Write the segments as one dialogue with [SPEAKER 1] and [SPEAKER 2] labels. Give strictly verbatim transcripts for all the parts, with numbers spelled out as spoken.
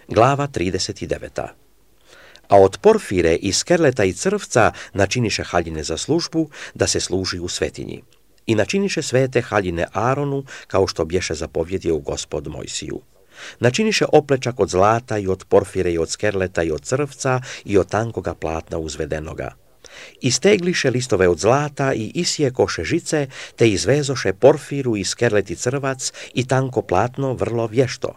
[SPEAKER 1] glava trideset devet. A od porfire i skerleta i crvca načiniše haljine za službu, da se služi u svetinji. I načiniše svete haljine Aronu, kao što bješe zapovjedio Gospod Mojsiju. Načiniše oplečak od zlata i od porfire i od skerleta i od crvca i od tankoga platna uzvedenoga. I stegliše listove od zlata i isjekoše žice, te izvezoše porfiru i skerlet i crvac i tanko platno vrlo vješto.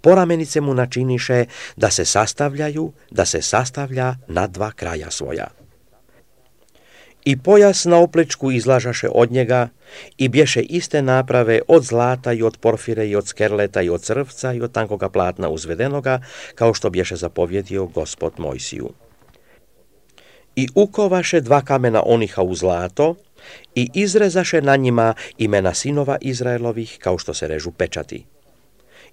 [SPEAKER 1] Poramenice mu načiniše da se sastavljaju, da se sastavlja na dva kraja svoja. I pojas na oplečku izlažaše od njega i bješe iste naprave od zlata i od porfire i od skerleta i od crvca i od tankoga platna uzvedenoga, kao što bješe zapovjedio Gospod Mojsiju. I ukovaše dva kamena oniha u zlato i izrezaše na njima imena sinova Izraelovih, kao što se režu pečati.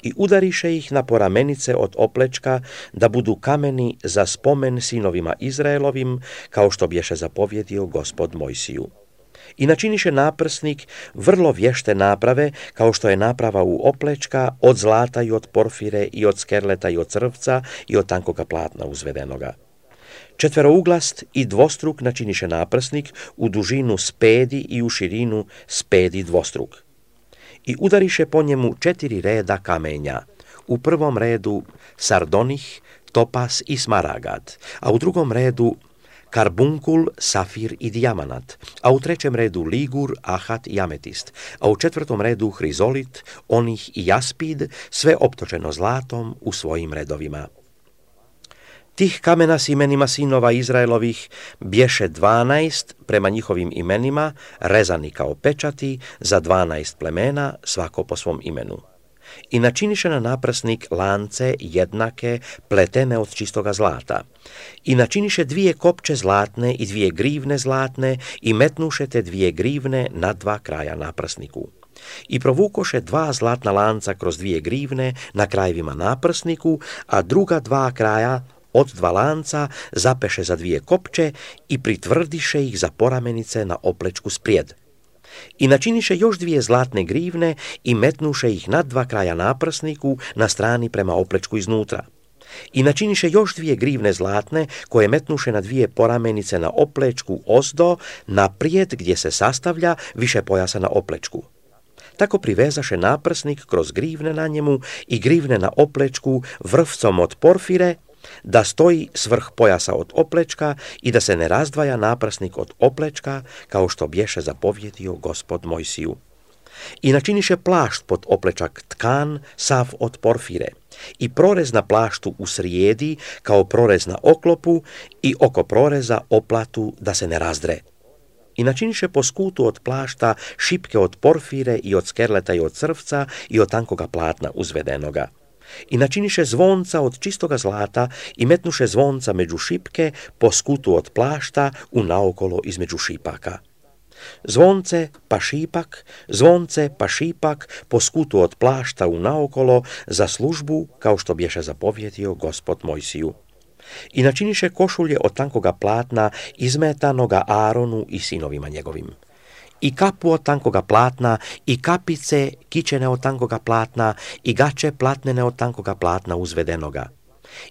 [SPEAKER 1] I udariše ih na poramenice od oplečka, da budu kameni za spomen sinovima Izraelovim, kao što bješe zapovjedio Gospod Mojsiju. I načiniše naprsnik vrlo vješte naprave, kao što je naprava u oplečka, od zlata i od porfire i od skerleta i od crvca i od tankoga platna uzvedenoga. Četverouglast i dvostruk načiniše naprsnik u dužinu spedi i u širinu spedi dvostruk. I udariše po njemu četiri reda kamenja. U prvom redu sardonih, topas i smaragad, a u drugom redu karbunkul, safir i dijamanat, a u trećem redu ligur, ahat i ametist, a u četvrtom redu hrizolit, onih i jaspid, sve optočeno zlatom u svojim redovima. Tih kamena s imenima sinova Izraelovih bješe dvanaest prema njihovim imenima, rezani kao pečati za dvanaest plemena, svako po svom imenu. I načiniše na naprsnik lance jednake, pletene od čistoga zlata. I načiniše dvije kopče zlatne i dvije grivne zlatne i metnuše te dvije grivne na dva kraja naprsniku. I provukoše dva zlatna lanca kroz dvije grivne na krajevima naprsniku, a druga dva kraja od dva lanca zapeše za dvije kopče i pritvrdiše ih za poramenice na oplečku sprijed. I načiniše još dvije zlatne grivne i metnuše ih na dva kraja naprsniku na strani prema oplečku iznutra. I načiniše još dvije grivne zlatne koje metnuše na dvije poramenice na oplečku ozdo, naprijed gdje se sastavlja više pojasa na oplečku. Tako privezaše naprsnik kroz grivne na njemu i grivne na oplečku vrvcom od porfire, da stoji svrh pojasa od oplečka i da se ne razdvaja naprsnik od oplečka, kao što bješe zapovjedio Gospod Mojsiju. I načiniše plašt pod oplečak tkan, sav od porfire, i prorez na plaštu u srijedi, kao prorez na oklopu, i oko proreza oplatu da se ne razdre. I načiniše po skutu od plašta šipke od porfire i od skerleta i od crvca i od tankoga platna uzvedenoga. I načiniše zvonca od čistoga zlata i metnuše zvonca među šipke po skutu od plašta u naokolo između šipaka. Zvonce pa šipak, zvonce pa šipak po skutu od plašta u naokolo za službu, kao što bješe zapovjedio Gospod Mojsiju. I načiniše košulje od tankoga platna izmetanoga Aronu i sinovima njegovim. I kapu od tankoga platna, i kapice kičene od tankoga platna, i gače platnene od tankoga platna uzvedenoga.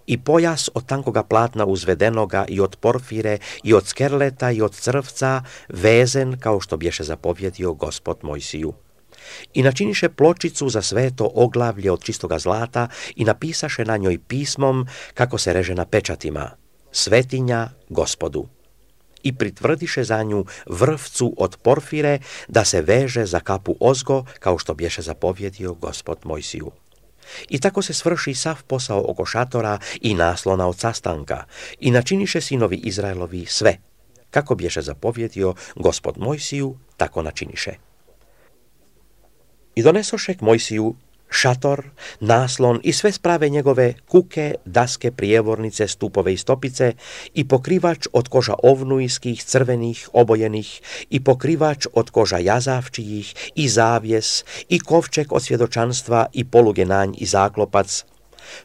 [SPEAKER 1] I pojas od tankoga platna uzvedenoga i od porfire, i od skerleta, i od crvca, vezen kao što bješe zapovjedio Gospod Mojsiju. I načiniše pločicu za sveto oglavlje od čistoga zlata i napisaše na njoj pismom, kako se reže na pečatima, svetinja Gospodu. I pritvrdiše za nju vrvcu od porfire, da se veže za kapu ozgo, kao što bješe zapovjedio Gospod Mojsiju. I tako se svrši sav posao oko šatora i naslona od sastanka, i načiniše sinovi Izraelovi sve. Kako bješe zapovjedio Gospod Mojsiju, tako načiniše. I donesoše k Mojsiju šator, naslon i sve sprave njegove, kuke, daske, prijevornice, stupove i stopice, i pokrivač od koža ovnujskih, crvenih, obojenih, i pokrivač od koža jazavčijih, i zavjes, i kovčeg od svjedočanstva, i poluge na nj, i zaklopac,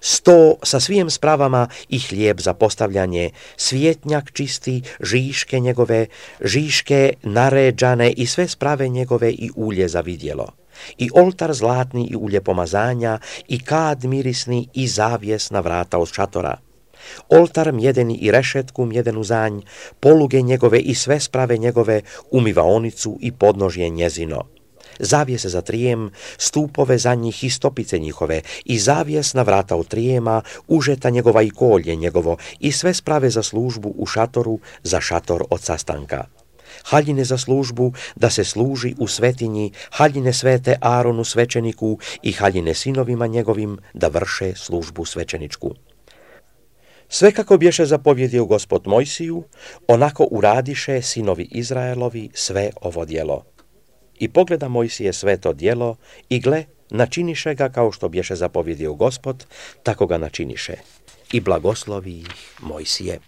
[SPEAKER 1] sto sa svim spravama i hlijeb za postavljanje, svjetnjak čisti, žiške njegove, žiške naređane i sve sprave njegove i ulje za vidjelo. i oltar zlatni i ulje pomazanja, i kad mirisni i zavijes na vrata od šatora. Oltar mjedeni i rešetku mjedenu zanj, poluge njegove i sve sprave njegove, umivaonicu i podnožje njezino. Zavijese za trijem, stupove za njih i stopice njihove, i zavijes na vrata od trijema, užeta njegova i kolje njegovo, i sve sprave za službu u šatoru, za šator od sastanka. Haljine za službu, da se služi u svetinji, haljine svete Aronu svećeniku i haljine sinovima njegovim, da vrše službu svećeničku. Sve kako bješe zapovjedio Gospod Mojsiju, onako uradiše sinovi Izraelovi sve ovo djelo. I pogleda Mojsije sve to djelo, i gle, načiniše ga kao što bješe zapovjedio Gospod, tako ga načiniše. I blagoslovi ih Mojsije.